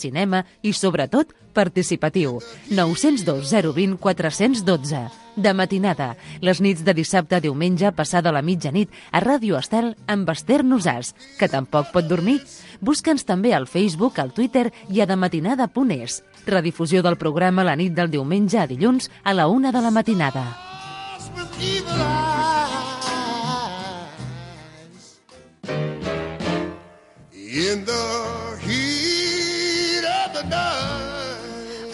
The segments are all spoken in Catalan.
cinema i, sobretot, participatiu. 902 020 412. De matinada, les nits de dissabte a diumenge passada la mitjanit a Ràdio Estel amb Esther Nosàs, que tampoc pot dormir. Busca'ns també al Facebook, al Twitter i a dematinada.es. Redifusió del programa la nit del diumenge a dilluns a la 1 de la matinada.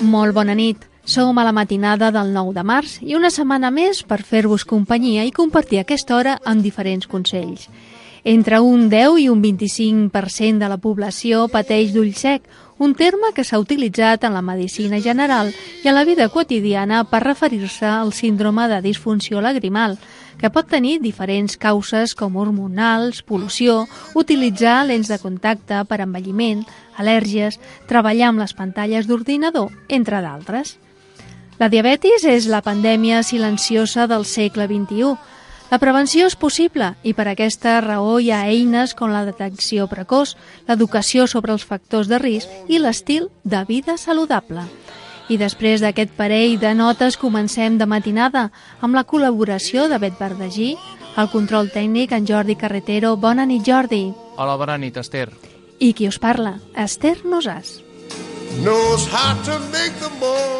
Molt bona nit. Som a la matinada del 9 de març i una setmana més per fer-vos companyia i compartir aquesta hora amb diferents consells. Entre un 10 i un 25% de la població pateix d'ull sec, un terme que s'ha utilitzat en la medicina general i en la vida quotidiana per referir-se al síndrome de disfunció lagrimal, que pot tenir diferents causes com hormonals, pol·lució, utilitzar lents de contacte per envelliment, al·lèrgies, treballar amb les pantalles d'ordinador, entre d'altres. La diabetis és la pandèmia silenciosa del segle XXI. La prevenció és possible i per aquesta raó hi ha eines com la detecció precoç, l'educació sobre els factors de risc i l'estil de vida saludable. I després d'aquest parell de notes comencem de matinada amb la col·laboració de Bet Verdagí, el control tècnic en Jordi Carretero. Bona nit, Jordi. Hola, bona nit, Esther. I qui us parla? Esther Nosàs.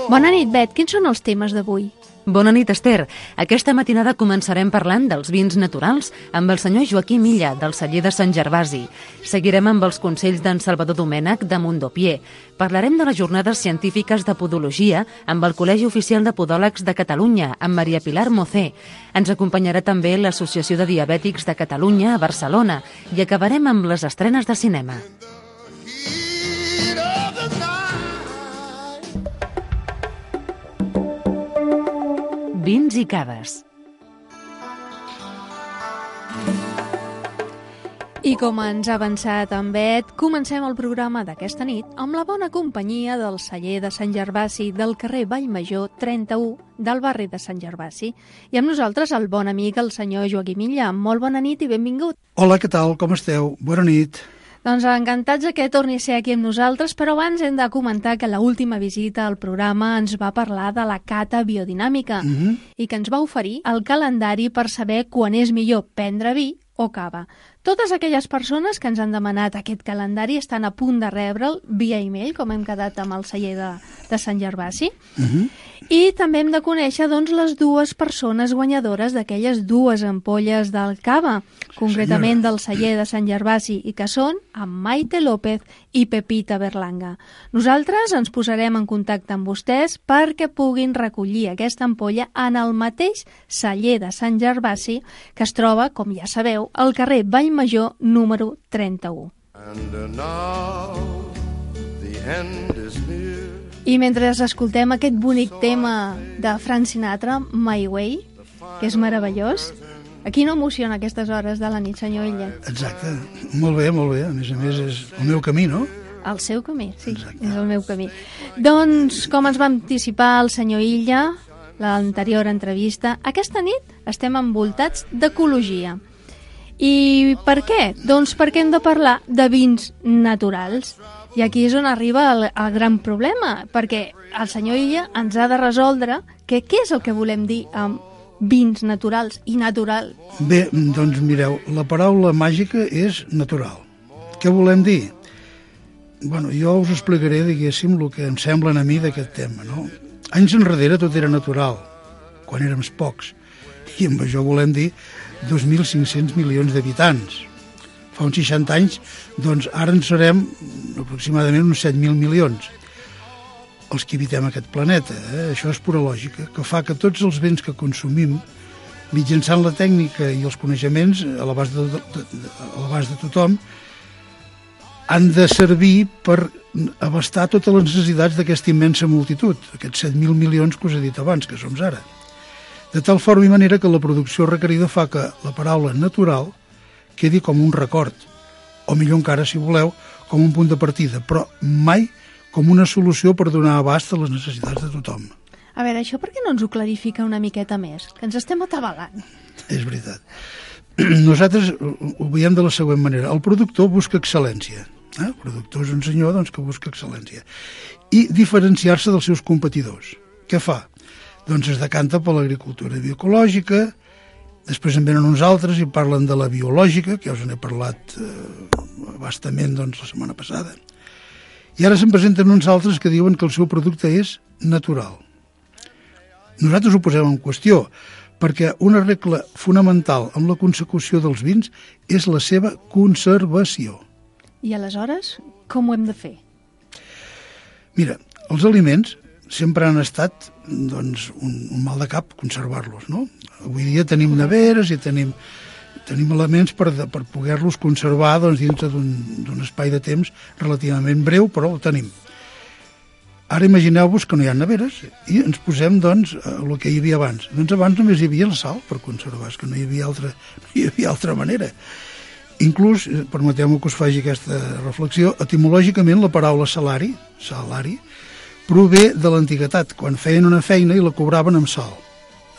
Bona nit, Bet. Quins són els temes d'avui? Bona nit, Esther. Aquesta matinada començarem parlant dels vins naturals amb el senyor Joaquim Illa, del celler de Sant Gervasi. Seguirem amb els consells d'en Salvador Domènech, de Mondopier. Parlarem de les jornades científiques de podologia amb el Col·legi Oficial de Podòlegs de Catalunya, amb Maria Pilar Mocé. Ens acompanyarà també l'Associació de Diabètics de Catalunya a Barcelona i acabarem amb les estrenes de cinema. Vins i cades. I com ens ha avançat en Bet, comencem el programa d'aquesta nit amb la bona companyia del celler de Sant Gervasi del carrer Vallmajor 31 del barri de Sant Gervasi. I amb nosaltres el bon amic, el senyor Joaquim Illa. Molt bona nit i benvingut. Hola, què tal? Com esteu? Bona nit. Doncs encantats que torni a ser aquí amb nosaltres, però abans hem de comentar que l'última visita al programa ens va parlar de la cata biodinàmica i que ens va oferir el calendari per saber quan és millor prendre vi o cava. Totes aquelles persones que ens han demanat aquest calendari estan a punt de rebre'l via e-mail, com hem quedat amb el celler de Sant Gervasi. I també hem de conèixer doncs, les dues persones guanyadores d'aquelles dues ampolles del cava, concretament del celler de Sant Gervasi, i que són en Maite López i Pepita Berlanga. Nosaltres ens posarem en contacte amb vostès perquè puguin recollir aquesta ampolla en el mateix celler de Sant Gervasi, que es troba, com ja sabeu, al carrer Vallmajor número 31. I mentre escoltem aquest bonic tema de Frank Sinatra, My Way, que és meravellós, a qui no emociona aquestes hores de la nit, senyor Illa? Exacte, molt bé, molt bé. A més és el meu camí, no? El seu camí, sí, exacte. És el meu camí. Doncs, com ens va anticipar el senyor Illa, l'anterior entrevista, aquesta nit estem envoltats d'ecologia. I per què? Doncs perquè hem de parlar de vins naturals. I aquí és on arriba el gran problema, perquè el senyor Illa ens ha de resoldre què és el que volem dir amb vins naturals i natural. Bé, doncs mireu, la paraula màgica és natural. Què volem dir? Bueno, jo us explicaré, diguéssim, el que em semblen a mi d'aquest tema, no? Anys enrere tot era natural, quan érem pocs, i amb això volem dir 2.500 milions d'habitants. Fa uns 60 anys, doncs ara en serem aproximadament uns 7.000 milions. Els que habitem aquest planeta, això és pura lògica, que fa que tots els béns que consumim, mitjançant la tècnica i els coneixements a l'abast de tothom, han de servir per abastar totes les necessitats d'aquesta immensa multitud, aquests 7.000 milions que us he dit abans, que som ara. De tal forma i manera que la producció requerida fa que la paraula natural quedi com un record, o millor encara, si voleu, com un punt de partida, però mai com una solució per donar abast a les necessitats de tothom. A veure, això per què no ens ho clarifica una miqueta més? Que ens estem atabalant. És veritat. Nosaltres ho veiem de la següent manera. El productor busca excel·lència, El productor és un senyor doncs, que busca excel·lència. I diferenciar-se dels seus competidors. Què fa? Doncs es decanta per l'agricultura bioecològica, després en venen uns altres i parlen de la biològica, que ja us n'he parlat bastament doncs, la setmana passada. I ara se'n presenten uns altres que diuen que el seu producte és natural. Nosaltres ho posem en qüestió, perquè una regla fonamental amb la consecució dels vins és la seva conservació. I aleshores, com ho hem de fer? Mira, els aliments sempre han estat doncs, un mal de cap conservar-los, no? Avui dia tenim neveres i tenim elements per poder-los conservar doncs, dintre d'un espai de temps relativament breu, però ho tenim. Ara imagineu-vos que no hi ha neveres i ens posem doncs, el que hi havia abans. Doncs abans només hi havia el sal per conservar, és que no hi havia altra manera. Inclús, permeteu-me que us faci aquesta reflexió, etimològicament la paraula salari, prové de l'antiguitat, quan feien una feina i la cobraven amb sal,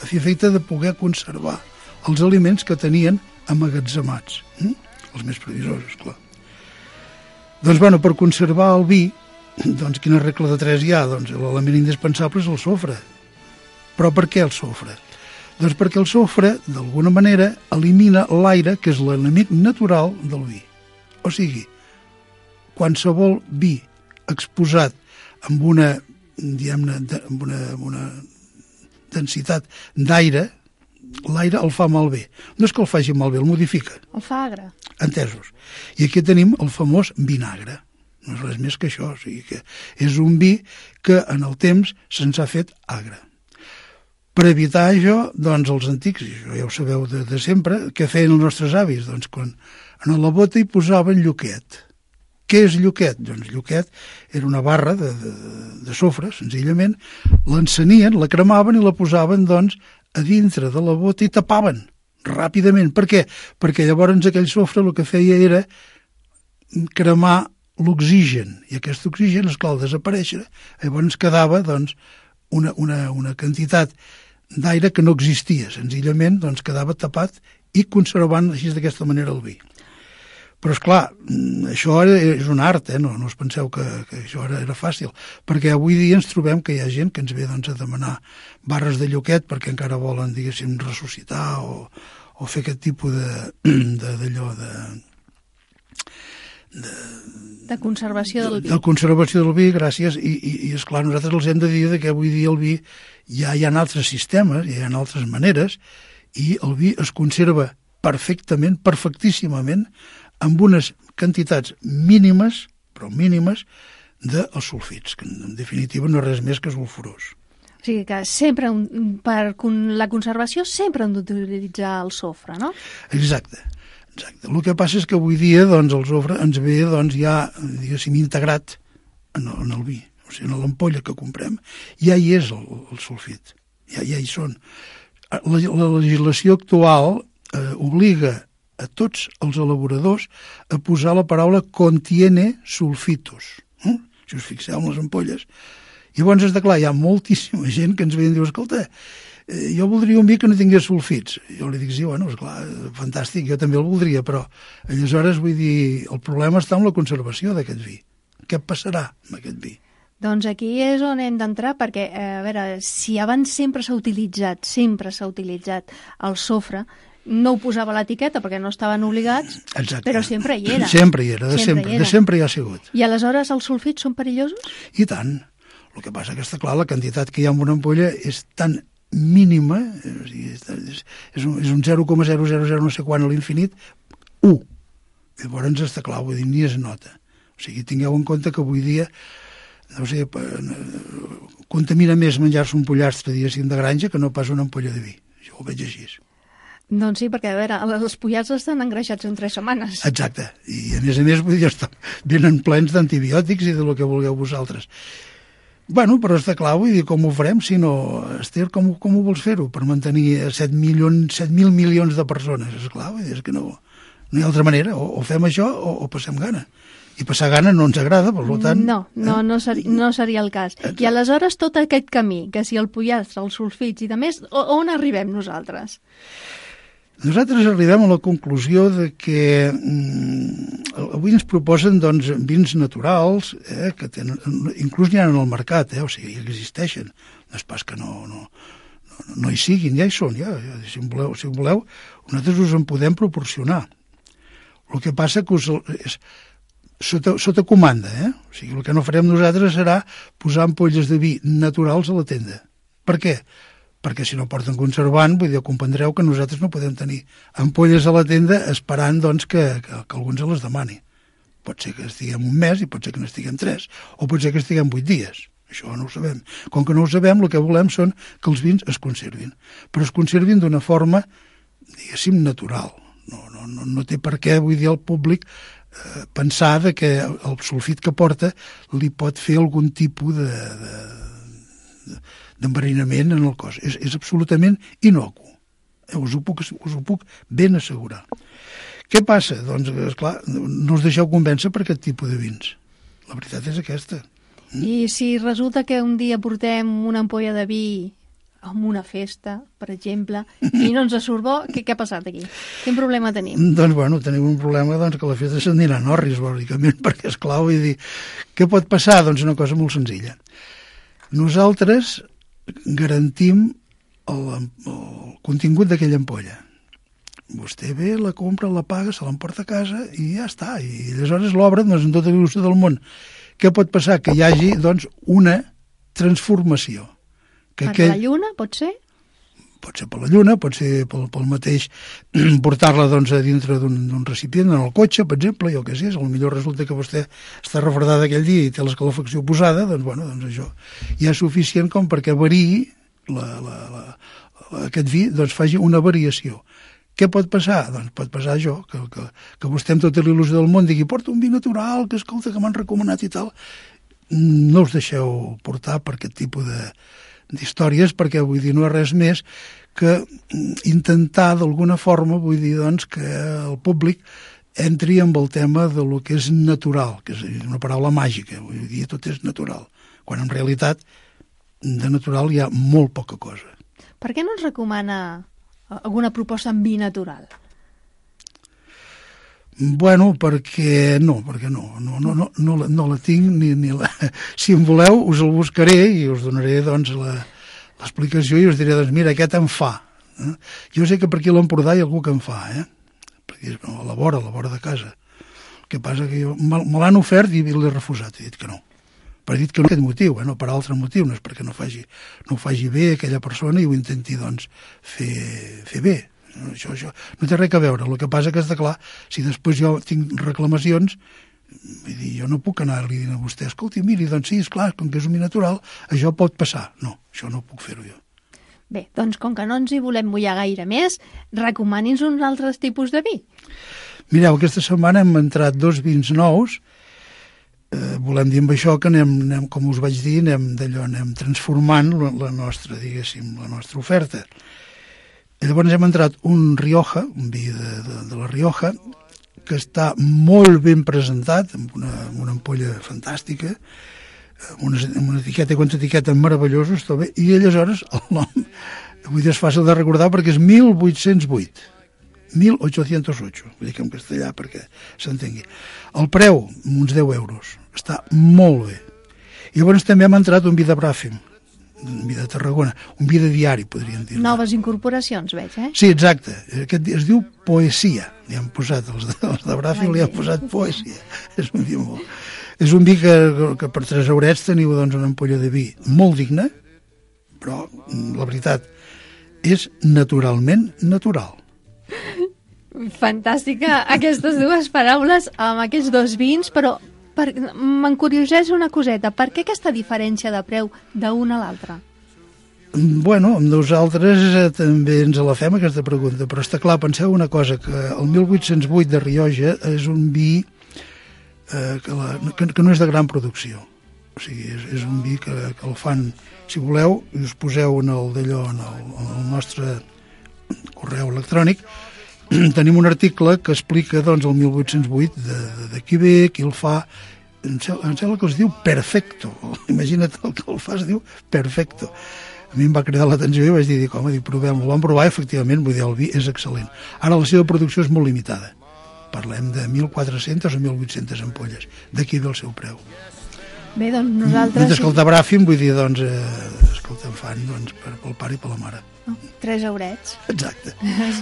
a fi efecte de poder conservar els aliments que tenien amagatzemats, els més previsosos, clar. Doncs, bueno, per conservar el vi, doncs, quina regla de 3 hi ha? Doncs l'element indispensable és el sofre. Però per què el sofre? Doncs perquè el sofre, d'alguna manera, elimina l'aire, que és l'enemic natural del vi. O sigui, qualsevol vi exposat amb una, diguem-ne, amb una densitat d'aire, l'aire el fa malbé. No és que el faci malbé, el modifica. El fa agre. Entesos. I aquí tenim el famós vinagre. No és res més que això. O sigui que és un vi que en el temps se'ns ha fet agre. Per evitar això, doncs els antics, i això ja ho sabeu de sempre, què feien els nostres avis? Doncs quan en la bota hi posaven lluquet. Què és lluquet? Doncs lluquet era una barra de sofre, senzillament, l'encenien, la cremaven i la posaven doncs a dintre de la bota i tapaven ràpidament. Per què? Perquè llavors aquell sofre el que feia era cremar l'oxigen, i aquest oxigen, esclar, al desaparèixer, llavors quedava doncs una quantitat d'aire que no existia, senzillament doncs, quedava tapat i conservant així d'aquesta manera el vi. Però, esclar, això és un art, no us penseu que això era fàcil, perquè avui dia ens trobem que hi ha gent que ens ve doncs, a demanar barres de lluquet perquè encara volen, diguéssim, ressuscitar o fer aquest tipus d'allò de conservació del vi. De conservació del vi, gràcies, i esclar, nosaltres els hem de dir que avui dia el vi ja hi ha altres sistemes, ja hi ha altres maneres, i el vi es conserva perfectament, perfectíssimament, amb unes quantitats mínimes, però mínimes, dels sulfits, que en definitiva no és res més que sulfurós. O sigui que sempre, per la conservació, sempre hem d'utilitzar el sofre, no? Exacte. El que passa és que avui dia doncs, el sofre ens ve doncs, ja, diguéssim, integrat en el vi. O sigui, en l'ampolla que comprem ja hi és el sulfit, ja hi són. La legislació actual obliga a tots els elaboradors a posar la paraula contiene sulfitos. Si us fixeu en les ampolles. Llavors, és clar, hi ha moltíssima gent que ens ve i diu, escolta, jo voldria un vi que no tingués sulfits. Jo li dic, sí, bueno, esclar, fantàstic, jo també el voldria, però aleshores, vull dir, el problema està en la conservació d'aquest vi. Què passarà amb aquest vi? Doncs aquí és on hem d'entrar, perquè, a veure, si abans sempre s'ha utilitzat el sofre, no ho posava a l'etiqueta perquè no estaven obligats, exacte, però sempre hi era. Sempre hi era, de sempre hi ha sigut. I aleshores els sulfits són perillosos? I tant. El que passa que està clar, la quantitat que hi ha en una ampolla és tan mínima, és un 0,000 no sé quant a l'infinit, 1. Llavors està clar, vull dir, ni es nota. O sigui, tingueu en compte que avui dia no sé, contamina més menjar-se un pollastre, diguéssim, de granja que no pas una ampolla de vi. Jo ho veig així. Doncs sí, perquè, a veure, els pollastres estan engreixats en 3 setmanes. Exacte. I a més, vull dir, venen plens d'antibiòtics i de lo que vulgueu vosaltres. Bueno, però està clar, vull dir, com ho farem si no... Esther, com ho vols fer-ho? Per mantenir 7.000 milions de persones. És clar, vull dir, és que no hi ha altra manera. O fem això o passem gana. I passar gana no ens agrada, per tant... No seria el cas. Exacte. I aleshores tot aquest camí, que si el pollastre, els sulfits i de més, on arribem nosaltres? Nosaltres arribem a la conclusió de que avui ens proposen doncs, vins naturals, que tenen, inclús n'hi ha en el mercat, o sigui, existeixen. No és pas que no hi siguin, ja hi són, si voleu, nosaltres us en podem proporcionar. El que passa que és sota comanda, O sigui, el que no farem nosaltres serà posar ampolles de vi naturals a la tenda. Per què? Perquè si no porten conservant, vull dir, comprendreu que nosaltres no podem tenir ampolles a la tenda esperant doncs, que algú ens les demani. Pot ser que estiguem un mes i pot ser que n'estiguem 3, o pot ser que estiguem 8 dies. Això no ho sabem. Com que no ho sabem, el que volem són que els vins es conservin. Però es conservin d'una forma, diguéssim, natural. No té per què, vull dir, el públic pensar que el sulfit que porta li pot fer algun tipus d'enverinament en el cos. És absolutament inocu. Us ho puc ben assegurar. Què passa? Doncs, esclar, no us deixeu convèncer per aquest tipus de vins. La veritat és aquesta. I si resulta que un dia portem una ampolla de vi a una festa, per exemple, i no ens surt bo, què ha passat aquí? Quin problema tenim? Doncs, tenim un problema que la festa s'anirà a Norris, bàsicament, perquè, esclar, vull dir, què pot passar? Doncs una cosa molt senzilla. Nosaltres garantim el contingut d'aquella ampolla. Vostè ve, la compra, la paga, se l'emporta a casa i ja està. I aleshores l'obra doncs, en tota la il·lusió del món. Què pot passar? Que hi hagi doncs, una transformació. Per la lluna, pot ser? Pot ser per la lluna, pot ser pel mateix portar-la doncs, a dintre d'un recipient, en el cotxe, per exemple, jo què sé, potser resulta que vostè està refredada aquell dia i té l'escalefacció posada, doncs això ja és suficient com perquè variï aquest vi, doncs faci una variació. Què pot passar? Doncs pot passar això, que vostè amb tota l'il·lusió del món digui porta un vi natural, que escolta, que m'han recomanat i tal. No us deixeu portar per aquest tipus d'històries, perquè vull dir, no és res més que intentar d'alguna forma, vull dir, doncs, que el públic entri amb el tema de lo que és natural, que és una paraula màgica, vull dir, tot és natural, quan en realitat de natural hi ha molt poca cosa. Per què no ens recomana alguna proposta en vi natural? Bueno, perquè no la tinc ni la... Si em voleu, us el buscaré i us donaré doncs l'explicació i us diré, doncs mira, aquest em fa. Jo sé que per aquí a l'Empordà hi ha algú que em fa, perquè és a la vora de casa. El que passa que me l'han ofert i l'he refusat, he dit que no. Però he dit que no per aquest motiu, no per altre motiu, no és perquè no ho faci bé aquella persona i ho intenti doncs fer bé. Això no té res a veure. El que passa que és clar, si després jo tinc reclamacions, vull dir, jo no puc anar-li dient a vostè, escolti, miri, doncs sí, esclar, com que és un vi natural, això pot passar. No, això no puc fer-ho jo. Bé, doncs com que no ens hi volem mullar gaire més, recomani'ns uns altres tipus de vi. Mireu, aquesta setmana hem entrat 2 vins nous. Volem dir amb això que anem, com us vaig dir, anem transformant la nostra, diguéssim, la nostra oferta. Llavors hem entrat un Rioja, un vi de la Rioja, que està molt ben presentat, amb una ampolla fantàstica, amb una etiqueta i quanta etiqueta meravellosos, i aleshores el nom, vull dir, és fàcil de recordar perquè és 1808. 1808, vull dir que en castellà perquè s'entengui. El preu, uns 10 euros, està molt bé. I llavors també hem entrat un vi de Bràfim, un vi de Tarragona, un vi de diari, podríem dir. Noves incorporacions, veig, Sí, exacte. Aquest es diu Poesia. Li han posat, els de Bràfim li han posat Poesia. És un vi molt... És un vi que per 3 eurets teniu doncs, una ampolla de vi molt digna, però la veritat és naturalment natural. Fantàstica aquestes dues paraules amb aquests 2 vins, però m'encurioseix una coseta. Per què aquesta diferència de preu d'un a l'altre? Bueno, nosaltres també ens la fem aquesta pregunta, però està clar, penseu una cosa, que el 1808 de Rioja és un vi que no és de gran producció. O sigui, és un vi que el fan, si voleu, i us poseu en el nostre correu electrònic, tenim un article que explica doncs, el 1808 de qui ve, qui el fa. Em sembla que es diu Perfecto. Imagina't el que el fa, es diu Perfecto. a mi em va cridar l'atenció i vaig dir, home, provem-ho. Vam provar, efectivament, vull dir, el vi és excel·lent. Ara la seva producció és molt limitada. Parlem de 1.400 o 1.800 ampolles. D'aquí ve el seu preu. Bé, doncs nosaltres... Mentre que el de Bràfim, vull dir, doncs, escolta, en fan pel pare i per la mare. 3 eurets. Exacte.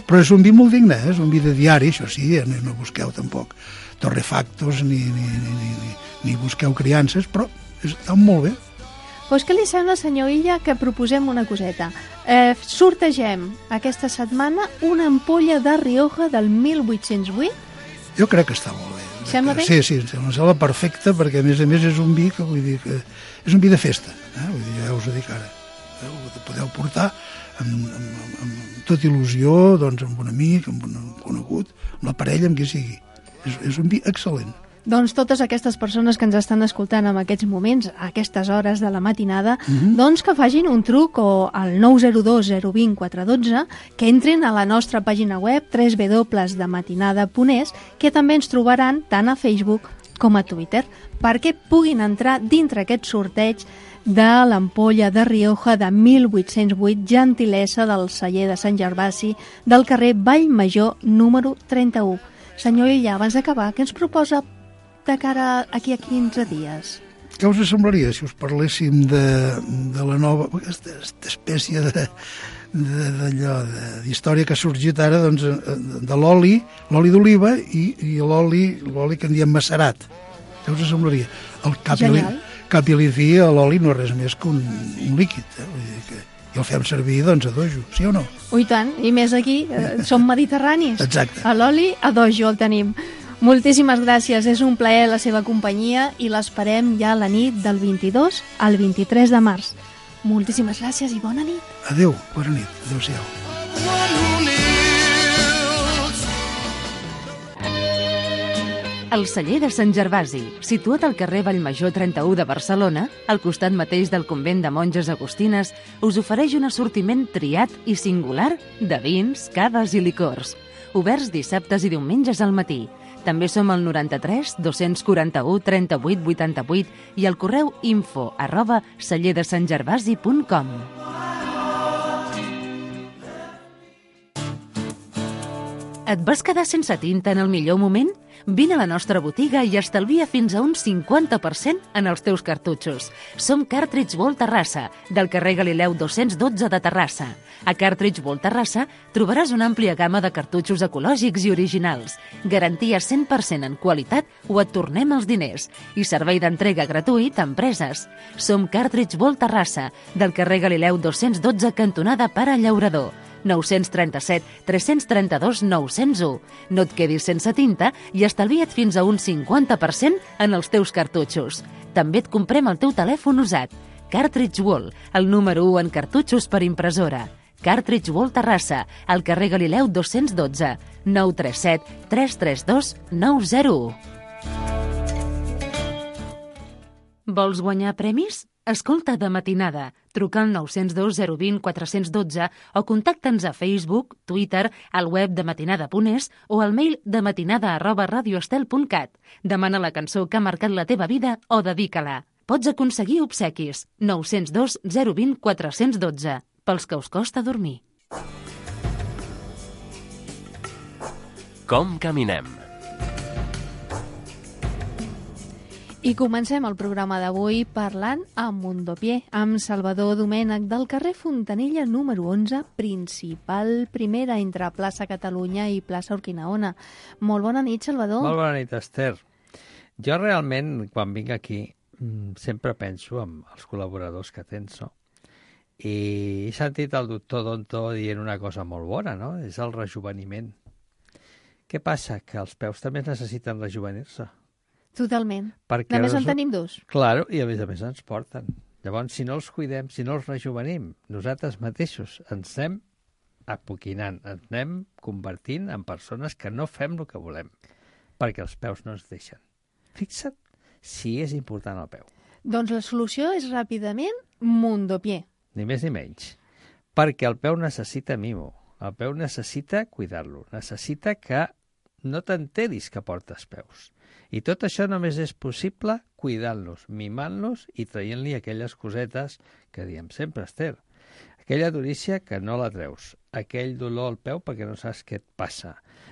Però és un vi molt digne, és un vi de diari, això sí, no busqueu tampoc torrefactos ni busqueu criances, però està molt bé. Doncs què li sembla, senyor Illa, que proposem una coseta? Sortegem aquesta setmana una ampolla de Rioja del 1808? Jo crec que està molt bé. Sembla bé? Sí, em sembla perfecte, perquè a més és un vi que vull dir que és un vi de festa, vull dir, ja us ho dic ara. Ho podeu portar amb tota il·lusió, doncs amb un amic, amb un conegut, amb la parella, amb qui sigui. És un vi excel·lent. Doncs totes aquestes persones que ens estan escoltant en aquests moments, a aquestes hores de la matinada, doncs que facin un truc o al 902 020 412, que entrin a la nostra pàgina web www.matinada.es, que també ens trobaran tant a Facebook com a Twitter, perquè puguin entrar dintre aquest sorteig de l'ampolla de Rioja de 1808, gentilesa del celler de Sant Gervasi, del carrer Vallmajor número 31. Senyor Illa, abans d'acabar, què ens proposa de cara aquí a 15 dies? Què us semblaria si us parléssim de la nova, aquesta espècie d'història que ha sorgit ara, doncs, de l'oli d'oliva i l'oli que en diem macerat? Què us semblaria? El cap i fi a l'oli no és res més que un líquid, vull dir que i el fem servir, doncs, a dojo, sí o no? Ui, tant, i més aquí, som mediterranis. Exacte. A l'oli, a dojo el tenim. Moltíssimes gràcies, és un plaer la seva companyia i l'esperem ja a la nit del 22 al 23 de març. Moltíssimes gràcies i bona nit. Adéu, bona nit, adéu-siau. El celler de Sant Gervasi, situat al carrer Vallmajor 31 de Barcelona, al costat mateix del convent de monges agustines, us ofereix un assortiment triat i singular de vins, cades i licors. Oberts dissabtes i diumenges al matí. També som al 93 241 38 88 i al correu info@cellerdesantgervasi.com. Et vas quedar sense tinta en el millor moment? Vine a la nostra botiga i estalvia fins a un 50% en els teus cartutxos. Som Cartridge Ball Terrassa, del carrer Galileu 212 de Terrassa. A Cartridge Ball Terrassa trobaràs una àmplia gamma de cartutxos ecològics i originals, garantia 100% en qualitat o et tornem els diners, i servei d'entrega gratuït a empreses. Som Cartridge Ball Terrassa, del carrer Galileu 212 cantonada Pare Llaurador. 937 332 901. No et quedis sense tinta i estalvia't fins a un 50% en els teus cartutxos. També et comprem el teu telèfon usat. Cartridge Wall, el número 1 en cartutxos per impressora. Cartridge Wall Terrassa, al carrer Galileu 212, 937 332 901. Vols guanyar premis? Escolta de matinada. Truca al 902 020 412 o contacta'ns a Facebook, Twitter, al web de matinada.es o al mail de matinada@radioestel.cat. Demana la cançó que ha marcat la teva vida o dedica-la. Pots aconseguir obsequis. 902 020 412. Pels que us costa dormir. Com caminem? I comencem el programa d'avui parlant amb Mundopié, amb Salvador Domènech del carrer Fontanella número 11, principal primera entre plaça Catalunya i plaça Urquinaona. Molt bona nit, Salvador. Molt bona nit, Esther. Jo realment, quan vinc aquí, sempre penso en els col·laboradors que tens, no? I he sentit el doctor Donto dient una cosa molt bona, no? És el rejuveniment. Què passa? Que els peus també necessiten rejuvenir-se. Totalment. Perquè a més en tenim dos. Claro, i a més ens porten. Llavors, si no els cuidem, si no els rejuvenim, nosaltres mateixos ens anem apoquinant, ens anem convertint en persones que no fem el que volem, perquè els peus no ens deixen. Fixa't si és important el peu. Doncs la solució és ràpidament Mundopié. Ni més ni menys. Perquè el peu necessita mimo. El peu necessita cuidar-lo. Necessita que no t'enteris que portes peus. I tot això només és possible cuidant-los, mimant-los i traient-li aquelles cosetes que diem sempre, Esther. aquella durícia que no la treus, aquell dolor al peu perquè no saps què et passa,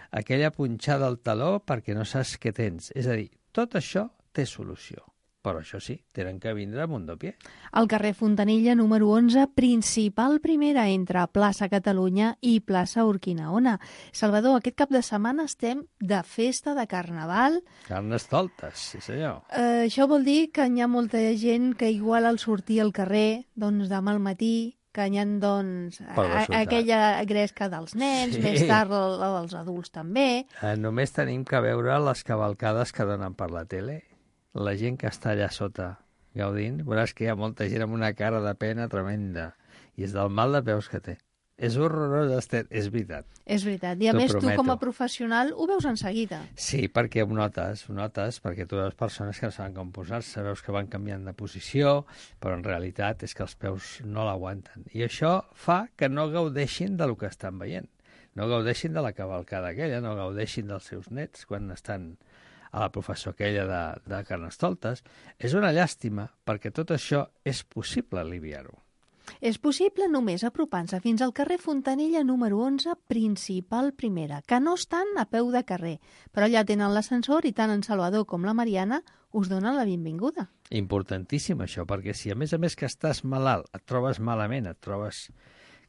aquella punxada al taló perquè no saps què tens. És a dir, tot això té solució. Però això sí, tenen que vindre a Mundopié. Al carrer Fontanella, número 11, principal primera entre Plaça Catalunya i Plaça Urquinaona. Salvador, aquest cap de setmana estem de festa de Carnaval. Carnestoltes, sí senyor. Això vol dir que hi ha molta gent que igual al sortir al carrer, doncs demà al matí, que hi ha doncs, aquella gresca dels nens, sí. Més tard els adults també. Només tenim que veure les cavalcades que donen per la tele. La gent que està allà sota gaudint, veuràs que hi ha molta gent amb una cara de pena tremenda. I és del mal de peus que té. És horrorós, Esther, és veritat. És veritat. I a més, tu com a professional ho veus en seguida. Sí, perquè ho notes, perquè tu veus persones que no saben com posar-se, veus que van canviant de posició, però en realitat és que els peus no l'aguanten. I això fa que no gaudeixin del que estan veient. No gaudeixin de la cavalcada aquella, no gaudeixin dels seus nets quan estan a la professor aquella de Carnestoltes. És una llàstima, perquè tot això és possible aliviar-ho. És possible només apropant-se fins al carrer Fontanella número 11, principal primera, que no estan a peu de carrer, però allà tenen l'ascensor i tant en Salvador com la Mariana us donen la benvinguda. Importantíssim això, perquè si a més que estàs malalt, et trobes malament, et trobes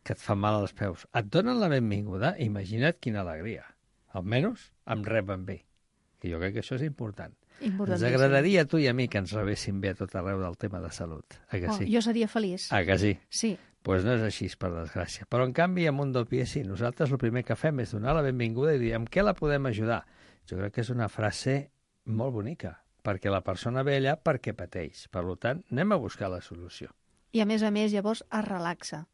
que et fa mal als peus, et donen la benvinguda, imagina't quina alegria. Almenys em reben bé. Que jo crec que això és important. Ens agradaria a tu i a mi que ens rebessin bé a tot arreu del tema de salut. Que sí? Jo seria feliç. Que sí? Sí. Doncs no és així, per desgràcia. Però, en canvi, a Mundopié sí. Nosaltres el primer que fem és donar la benvinguda i dir amb què la podem ajudar. Jo crec que és una frase molt bonica, perquè la persona ve allà perquè pateix. Per tant, anem a buscar la solució. I a més, llavors es relaxa.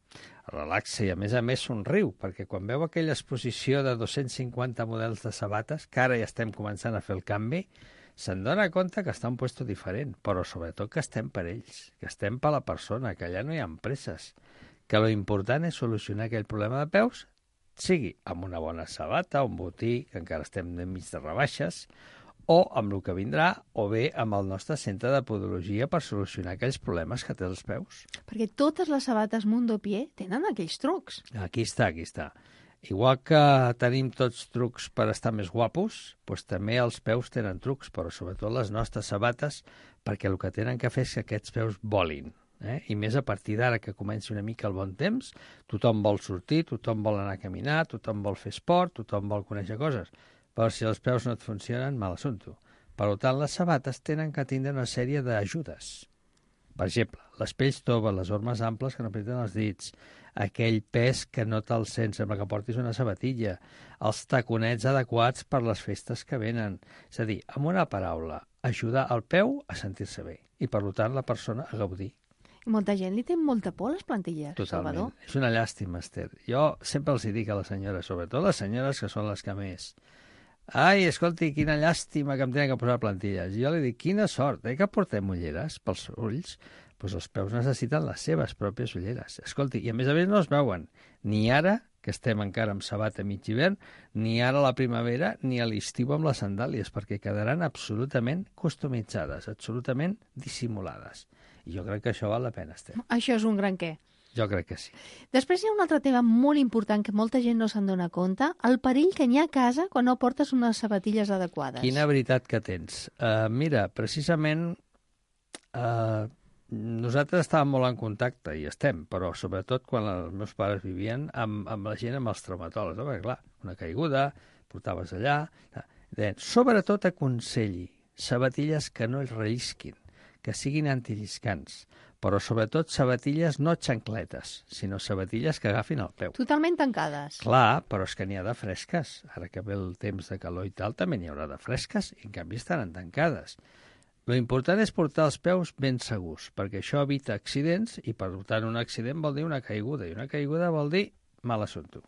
Relaxa i a més somriu, perquè quan veu aquella exposició de 250 models de sabates, que ara ja estem començant a fer el canvi, se'n dona compte que està en un lloc diferent, però sobretot que estem per ells, que estem per la persona, que allà no hi ha empreses, que lo important és solucionar aquell problema de peus, sigui amb una bona sabata, un botí, que encara estem enmig de rebaixes, o amb el que vindrà, o bé amb el nostre centre de podologia per solucionar aquells problemes que té els peus. Perquè totes les sabates Mundopié tenen aquells trucs. Aquí està. Igual que tenim tots trucs per estar més guapos, doncs també els peus tenen trucs, però sobretot les nostres sabates, perquè el que tenen que fer és que aquests peus volin. I més a partir d'ara que comenci una mica el bon temps, tothom vol sortir, tothom vol anar a caminar, tothom vol fer esport, tothom vol conèixer coses. Però si els peus no et funcionen, mal assumpte. Per tant, les sabates tenen que tindre una sèrie d'ajudes. Per exemple, les pells toves, les ormes amples que no apreten els dits, aquell pes que no te'l sents sembla que portis una sabatilla, els taconets adequats per les festes que venen. És a dir, amb una paraula, ajudar el peu a sentir-se bé i, per tant, la persona a gaudir. I molta gent li té molta por a les plantilles, Totalment. Salvador. És una llàstima, Esther. Jo sempre els dic a les senyores, sobretot les senyores que són les que més... Ai, escolti, quina llàstima que em tenen que posar plantilles. Jo li dic, quina sort, que portem ulleres pels ulls? Doncs els peus necessiten les seves pròpies ulleres. Escolti, i a més no es veuen ni ara, que estem encara amb sabata mig hivern, ni ara a la primavera, ni a l'estiu amb les sandàlies, perquè quedaran absolutament customitzades, absolutament dissimulades. I jo crec que això val la pena, Esther. Això és un gran què. Jo crec que sí. Després hi ha un altre tema molt important que molta gent no se'n dona compte, el perill que n'hi ha a casa quan no portes unes sabatilles adequades. Quina veritat que tens. Mira, precisament nosaltres estàvem molt en contacte, i estem, però sobretot quan els meus pares vivien amb la gent, amb els traumatòlegs. Perquè, clar, una caiguda, portaves allà... Deien, sobretot aconselli sabatilles que no es rellisquin, que siguin antilliscants, però sobretot sabatilles no xancletes, sinó sabatilles que agafin el peu. Totalment tancades. Clar, però és que n'hi ha de fresques. Ara que ve el temps de calor i tal, també n'hi haurà de fresques, i en canvi estaran tancades. Lo important és portar els peus ben segurs, perquè això evita accidents, i per tant un accident vol dir una caiguda, i una caiguda vol dir mal assumpte.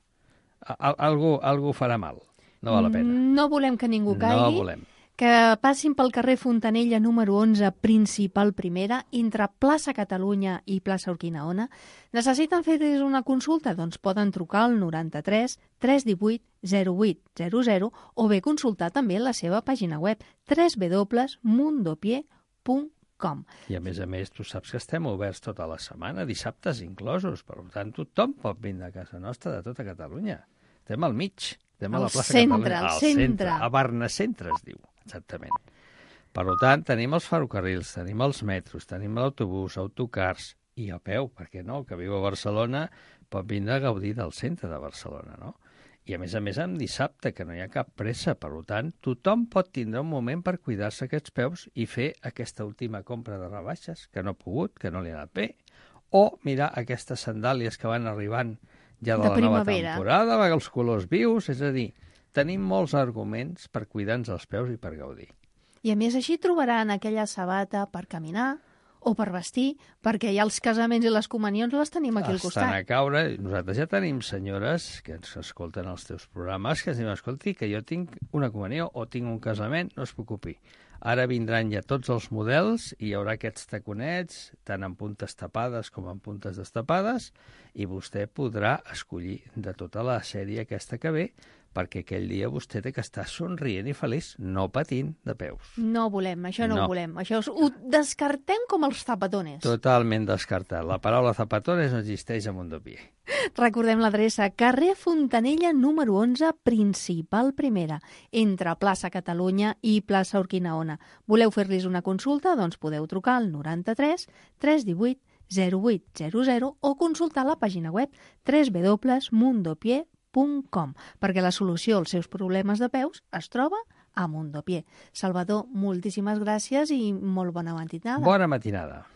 Algú farà mal. No val la pena. No volem que ningú caigui. No volem. Que passin pel carrer Fontanella número 11, principal primera, entre Plaça Catalunya i Plaça Urquinaona. Necessiten fer una consulta? Doncs poden trucar al 93 318 0800 o bé consultar també la seva pàgina web www.mundopié.com. com. I a més, tu saps que estem oberts tota la setmana, dissabtes inclosos, per tant, tothom pot vindre a casa nostra de tota Catalunya. Estem al mig, estem a la plaça Catalunya. Al centre. A Barnacentre es diu, exactament. Per tant, tenim els ferrocarrils, tenim els metros, tenim l'autobús, autocars, i a peu, perquè no, el que viu a Barcelona pot vindre a gaudir del centre de Barcelona, no? I a més en dissabte, que no hi ha cap pressa, per tant, tothom pot tindre un moment per cuidar-se aquests peus i fer aquesta última compra de rebaixes, que no ha pogut, que no li ha anat bé, o mirar aquestes sandàlies que van arribant ja de la nova temporada, amb els colors vius, és a dir, tenim molts arguments per cuidar-nos els peus i per gaudir. I a més així trobaran aquella sabata per caminar o per vestir, perquè ja els casaments i les comunions les tenim aquí al costat. Estan a caure. Nosaltres ja tenim senyores que ens escolten els teus programes que ens diuen, escolti, que jo tinc una comunió o tinc un casament, no es preocupi. Ara vindran ja tots els models i hi haurà aquests taconets, tant en puntes tapades com en puntes destapades, i vostè podrà escollir de tota la sèrie aquesta que ve, perquè aquell dia vostè té que estar somrient i feliç, no patint de peus. No volem, això no ho volem. Això ho descartem com els zapatones. Totalment descartat. La paraula zapatones no existeix a Mundopié. Recordem l'adreça: carrer Fontanella número 11, principal primera, entre plaça Catalunya i plaça Urquinaona. Voleu fer-los una consulta? Doncs podeu trucar al 93 318 0800 o consultar la pàgina web www.mundopié.com, perquè la solució als seus problemes de peus es troba a Mundopié. Salvador, moltíssimes gràcies i molt bona matinada. Bona matinada.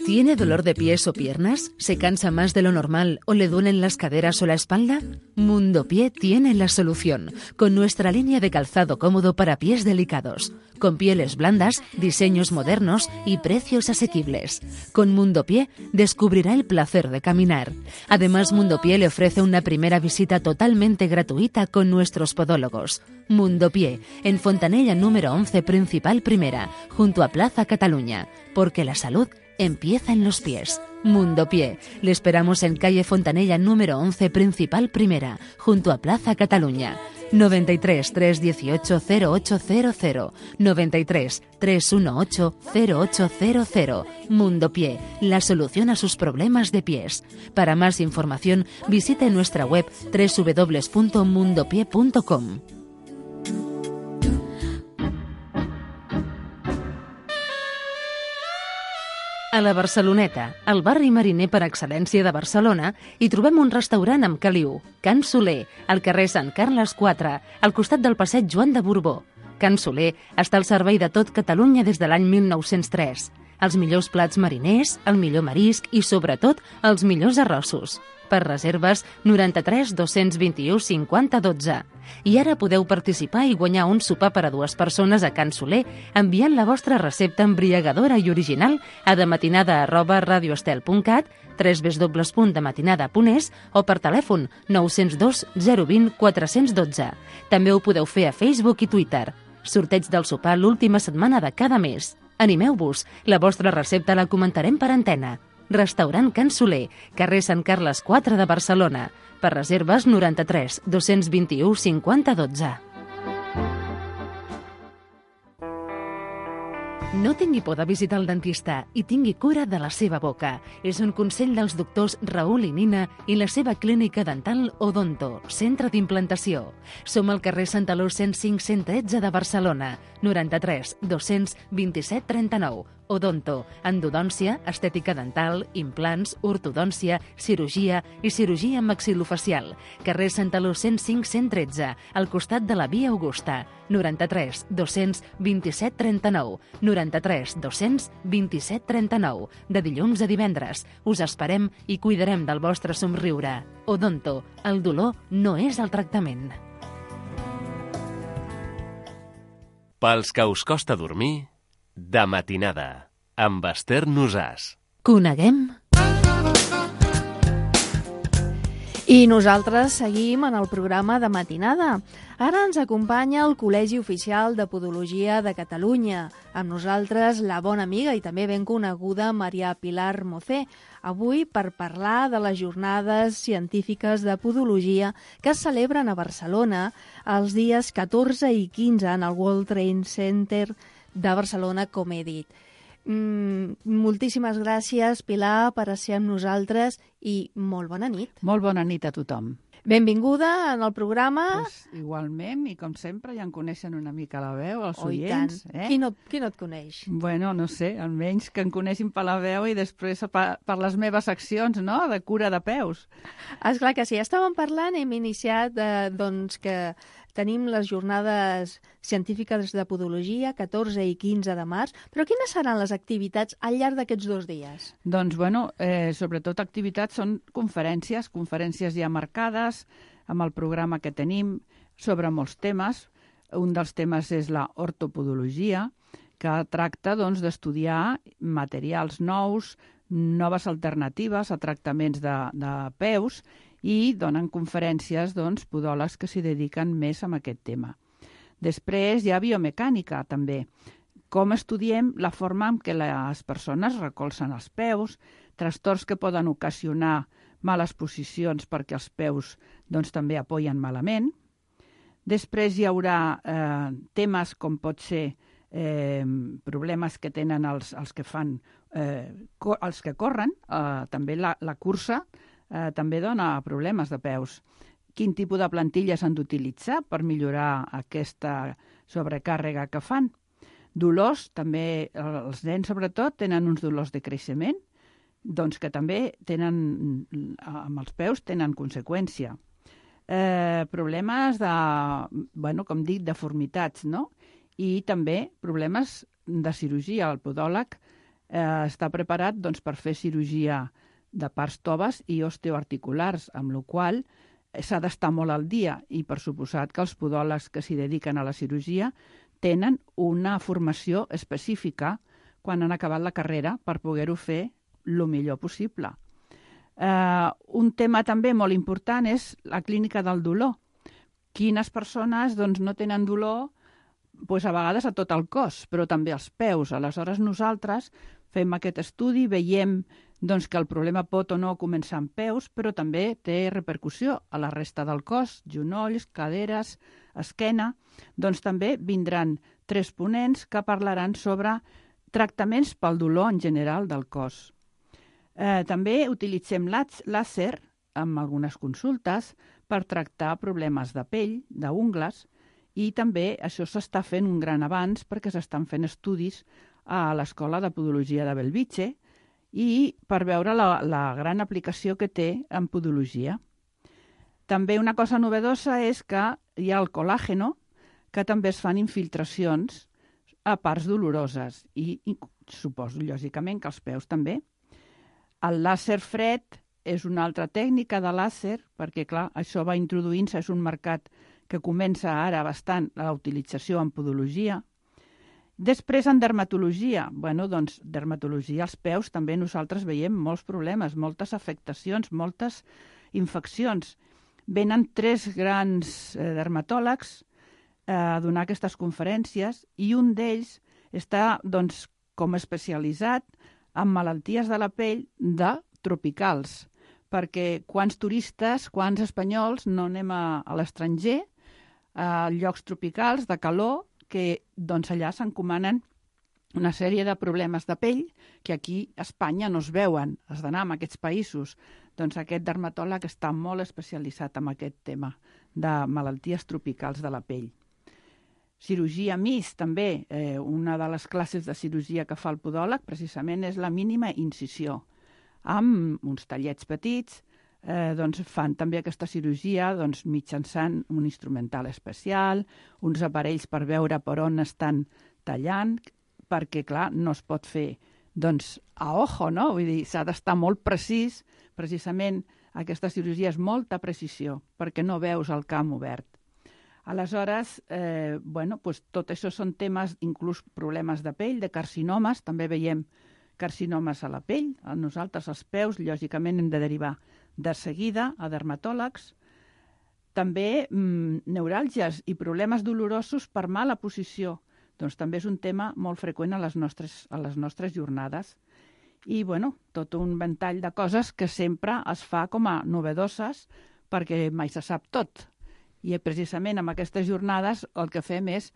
¿Tiene dolor de pies o piernas? ¿Se cansa más de lo normal o le duelen las caderas o la espalda? Mundopié tiene la solución, con nuestra línea de calzado cómodo para pies delicados, con pieles blandas, diseños modernos y precios asequibles. Con Mundopié descubrirá el placer de caminar. Además, Mundopié le ofrece una primera visita totalmente gratuita con nuestros podólogos. Mundopié, en Fontanella número 11, principal primera, junto a Plaza Cataluña, porque la salud empieza en los pies. Mundopié. Le esperamos en calle Fontanella número 11, principal primera, junto a Plaza Cataluña. 93 318 0800, 93 318 0800. Mundopié, la solución a sus problemas de pies. Para más información, visite nuestra web www.mundopié.com. A la Barceloneta, el barri mariner per excel·lència de Barcelona, hi trobem un restaurant amb caliu, Can Soler, al carrer Sant Carles 4, al costat del passeig Joan de Borbó. Can Soler està al servei de tot Catalunya des de l'any 1903. Els millors plats mariners, el millor marisc i, sobretot, els millors arrossos. Per reserves, 93 221 50 12. I ara podeu participar i guanyar un sopar per a 2 persones a Can Soler enviant la vostra recepta embriagadora i original a dematinada@radioestel.cat, www.dematinada.es o per telèfon 902 020 412. També ho podeu fer a Facebook i Twitter. Sorteig del sopar l'última setmana de cada mes. Animeu-vos, la vostra recepta la comentarem per antena. Restaurant Can Soler, carrer Sant Carles 4 de Barcelona. Per reserves 93 221 50 12. No tingui por de visitar el dentista i tingui cura de la seva boca. És un consell dels doctors Raül i Nina i la seva clínica dental Odonto, centre d'implantació. Som al carrer Santaló 105 113 de Barcelona, 93 227 39. Odonto, endodòncia, estètica dental, implants, ortodòncia, cirurgia i cirurgia maxil·lofacial. Carrer Santaló 105 113, al costat de la Via Augusta. 93 227 39. 93 227 39. De dilluns a divendres. Us esperem i cuidarem del vostre somriure. Odonto, el dolor no és el tractament. Pels que us costa dormir, de matinada, amb Esther Nosàs. Coneguem... I nosaltres seguim en el programa de matinada. Ara ens acompanya el Col·legi Oficial de Podologia de Catalunya. Amb nosaltres la bona amiga i també ben coneguda Maria Pilar Mocé. Avui per parlar de les jornades científiques de podologia que es celebren a Barcelona els dies 14 i 15 en el World Trade Center de Barcelona, com he dit. Moltíssimes gràcies, Pilar, per ser amb nosaltres i molt bona nit. Molt bona nit a tothom. Benvinguda en el programa. Pues, igualment, i com sempre, ja en coneixen una mica la veu, els Oh, i oients. tant. Qui no et coneix? Bueno, no sé, almenys que em coneixin per la veu i després per les meves accions, no?, de cura de peus. Esclar que sí. Estàvem parlant, hem iniciat doncs que tenim les jornades científiques de podologia, 14 i 15 de març, però quines seran les activitats al llarg d'aquests 2 dies? Doncs, bueno, sobretot activitats són conferències ja marcades, amb el programa que tenim sobre molts temes. Un dels temes és la ortopodologia, que tracta doncs, d'estudiar materials nous, noves alternatives a tractaments de peus, i donen conferències doncs, podòlegs que s'hi dediquen més a aquest tema. Després hi ha biomecànica, també. Com estudiem la forma en què les persones recolzen els peus, trastorns que poden ocasionar males posicions perquè els peus doncs, també apoyen malament. Després hi haurà temes com pot ser problemes que tenen els que fan, els que corren, també la cursa, també dona problemes de peus. Quin tipus de plantilles han d'utilitzar per millorar aquesta sobrecàrrega que fan? Dolors, també els nens sobretot tenen uns dolors de creixement, doncs que també tenen, amb els peus tenen conseqüència. Problemes de, bueno, com dic, deformitats, no? I també problemes de cirurgia. El podòleg està preparat doncs, per fer cirurgia de parts toves i osteoarticulars, amb la qual s'ha d'estar molt al dia i per suposat que els podòlegs que s'hi dediquen a la cirurgia tenen una formació específica quan han acabat la carrera per poder-ho fer el millor possible. Un tema també molt important és la clínica del dolor. Quines persones doncs, no tenen dolor doncs, a vegades a tot el cos, però també als peus. Aleshores nosaltres fem aquest estudi, veiem doncs, que el problema pot o no començar amb peus, però també té repercussió a la resta del cos, genolls, caderes, esquena. Doncs també vindran 3 ponents que parlaran sobre tractaments pel dolor en general del cos. També utilitzem làser amb algunes consultes per tractar problemes de pell, d'ungles, i també això s'està fent un gran avanç perquè s'estan fent estudis a l'Escola de Podologia de Bellvitge i per veure la gran aplicació que té en podologia. També una cosa novedosa és que hi ha el colàgeno, que també es fan infiltracions a parts doloroses i suposo, lògicament, que els peus també. El làser fred és una altra tècnica de làser, perquè, clar, això va introduint-se, és un mercat que comença ara bastant la utilització en podologia. Després, en dermatologia. Bueno, doncs, dermatologia als peus també nosaltres veiem molts problemes, moltes afectacions, moltes infeccions. Venen 3 grans dermatòlegs a donar aquestes conferències i un d'ells està, doncs, com especialitzat en malalties de la pell de tropicals, perquè quants turistes, quants espanyols no anem a l'estranger, a llocs tropicals de calor, que doncs allà s'encomanen una sèrie de problemes de pell que aquí a Espanya no es veuen, has d'anar a aquests països. Doncs aquest dermatòleg està molt especialitzat en aquest tema de malalties tropicals de la pell. Cirurgia MIS, també, una de les classes de cirurgia que fa el podòleg precisament és la mínima incisió. Amb uns tallets petits, doncs fan també aquesta cirurgia doncs, mitjançant un instrumental especial, uns aparells per veure per on estan tallant, perquè, clar, no es pot fer doncs, a ojo, no? Vull dir, s'ha d'estar molt precís, precisament aquesta cirurgia és molta precisió, perquè no veus el camp obert. Aleshores, bueno, doncs tot això són temes, inclús problemes de pell, de carcinomes, també veiem carcinomes a la pell, a nosaltres als peus, lògicament hem de derivar de seguida a dermatòlegs. També neuràlgies i problemes dolorosos per mala posició, doncs també és un tema molt freqüent a les nostres jornades. I, bueno, tot un ventall de coses que sempre es fa com a novedoses perquè mai se sap tot. I precisament amb aquestes jornades el que fem és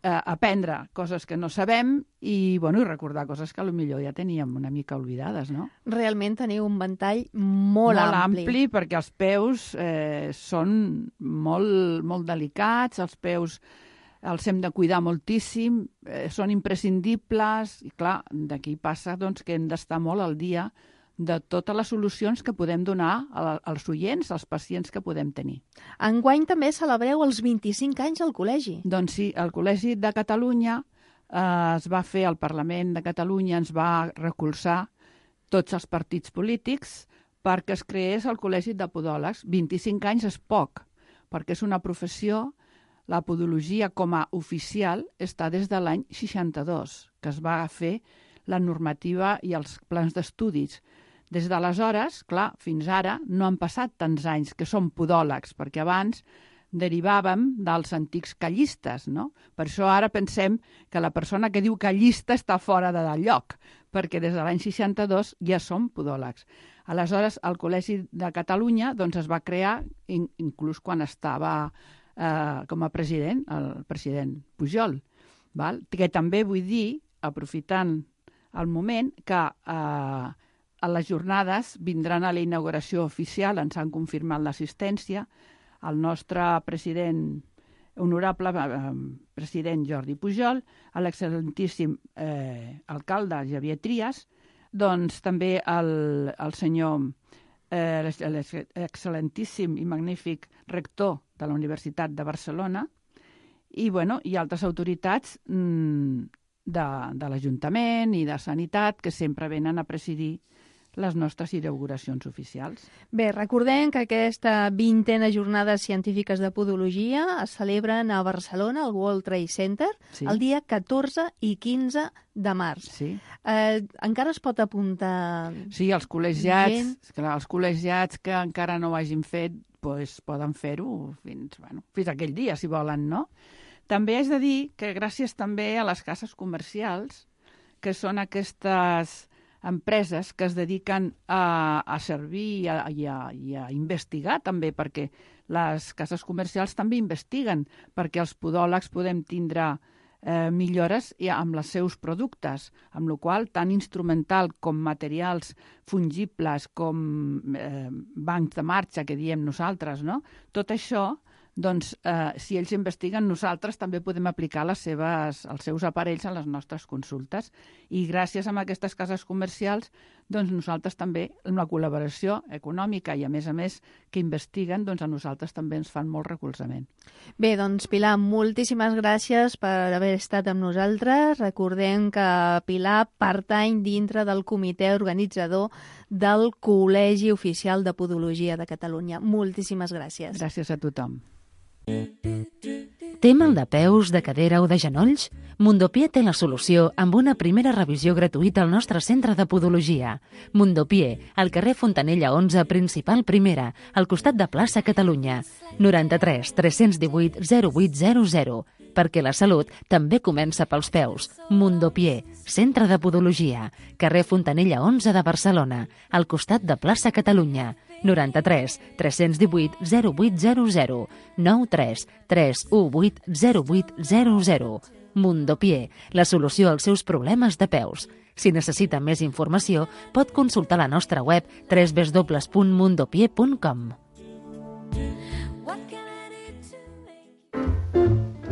aprendre coses que no sabem i recordar coses que potser ja teníem una mica oblidades, no? Realment teniu un ventall molt ampli. Molt ampli, perquè els peus són molt delicats, els peus els hem de cuidar moltíssim, són imprescindibles, i clar, d'aquí passa que hem d'estar molt al dia de totes les solucions que podem donar als oients, als pacients que podem tenir. Enguany també celebreu els 25 anys al col·legi. Doncs sí, el Col·legi de Catalunya es va fer, el Parlament de Catalunya ens va recolzar tots els partits polítics perquè es creés el Col·legi de Podòlegs. 25 anys és poc, perquè és una professió, la podologia com a oficial està des de l'any 62, que es va fer la normativa i els plans d'estudis. Des d'aleshores, clar, fins ara no han passat tants anys que som podòlegs, perquè abans derivàvem dels antics callistes, no? Per això ara pensem que la persona que diu callista està fora de lloc, perquè des de l'any 62 ja som podòlegs. Aleshores, el Col·legi de Catalunya es va crear, inclús quan estava com a president, el president Pujol, que també vull dir, aprofitant el moment, que a les jornades vindran a la inauguració oficial, ens han confirmat l'assistència, el nostre president, honorable president Jordi Pujol, l'excel·lentíssim alcalde Xavier Trias, també el senyor, l'excel·lentíssim i magnífic rector de la Universitat de Barcelona i altres autoritats de l'Ajuntament i de Sanitat que sempre venen a presidir les nostres inauguracions oficials. Bé, recordem que aquesta 20a Jornades Científiques de Podologia es celebren a Barcelona, al World Trade Center, sí, el dia 14 i 15 de març. Sí. Encara es pot apuntar... Sí, els col·legiats que encara no ho hagin fet poden fer-ho fins aquell dia, si volen, no? També és de dir que gràcies també a les cases comercials, que són aquestes empreses que es dediquen a servir i a investigar també, perquè les cases comercials també investiguen, perquè els podòlegs podem tindre millores amb els seus productes, amb la qual cosa tant instrumental com materials fungibles, com bancs de marxa, que diem nosaltres, no? Tot això, si ells investiguen, nosaltres també podem aplicar els seus aparells a les nostres consultes. I gràcies a aquestes cases comercials, nosaltres també, amb la col·laboració econòmica i, a més, que investiguen, a nosaltres també ens fan molt recolzament. Bé, Pilar, moltíssimes gràcies per haver estat amb nosaltres. Recordem que Pilar pertany dintre del comitè organitzador del Col·legi Oficial de Podologia de Catalunya. Moltíssimes gràcies. Gràcies a tothom. Té mal de peus, de cadera o de genolls? Mundopié té la solució amb una primera revisió gratuïta al nostre centre de podologia. Mundopié, al carrer Fontanella 11, principal primera, al costat de plaça Catalunya. 93 318 0800. Perquè la salut també comença pels peus. Mundopié, centre de podologia, carrer Fontanella 11 de Barcelona, al costat de plaça Catalunya. 93 318 0800 93 318 0800. Mundopié, la solució als seus problemes de peus. Si necessita més informació, pot consultar la nostra web www.mundopié.com.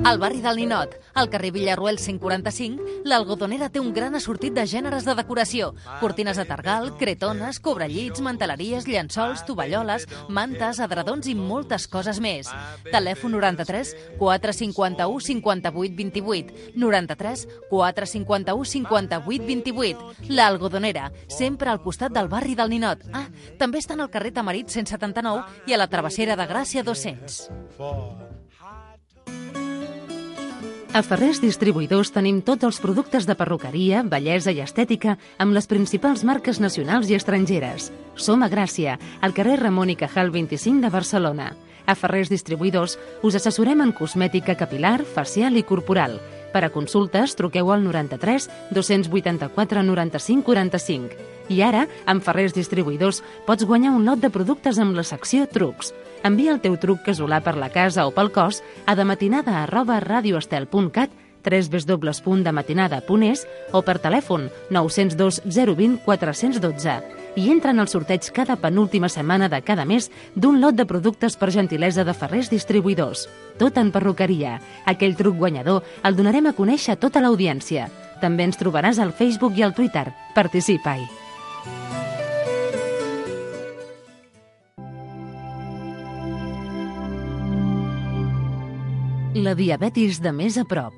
Al barri del Ninot, al carrer Villarroel 145, l'Algodonera té un gran assortit de gèneres de decoració. Cortines de targal, cretones, cobrellits, manteleries, llençols, tovalloles, mantes, edredons i moltes coses més. Telèfon 93 451 58 28. 93 451 58 28. L'Algodonera, sempre al costat del barri del Ninot. També estan al carrer Tamarit 179 i a la Travessera de Gràcia 200. A Ferrers Distribuïdors tenim tots els productes de perruqueria, bellesa i estètica amb les principals marques nacionals i estrangeres. Som a Gràcia, al carrer Ramon i Cajal 25 de Barcelona. A Ferrers Distribuïdors us assessorem en cosmètica capilar, facial i corporal. Per a consultes, truqueu al 93 284 95 45. I ara, amb Ferrers Distribuïdors, pots guanyar un lot de productes amb la secció Trucs. Envia el teu truc casolà per la casa o pel cos a dematinada@radioestel.cat www.dematinada.es o per telèfon 902 020 412 i entra en el sorteig cada penúltima setmana de cada mes d'un lot de productes per gentilesa de Ferrers Distribuïdors. Tot en perruqueria. Aquell truc guanyador el donarem a conèixer a tota l'audiència. També ens trobaràs al Facebook i al Twitter. Participa-hi. La diabetis de més a prop.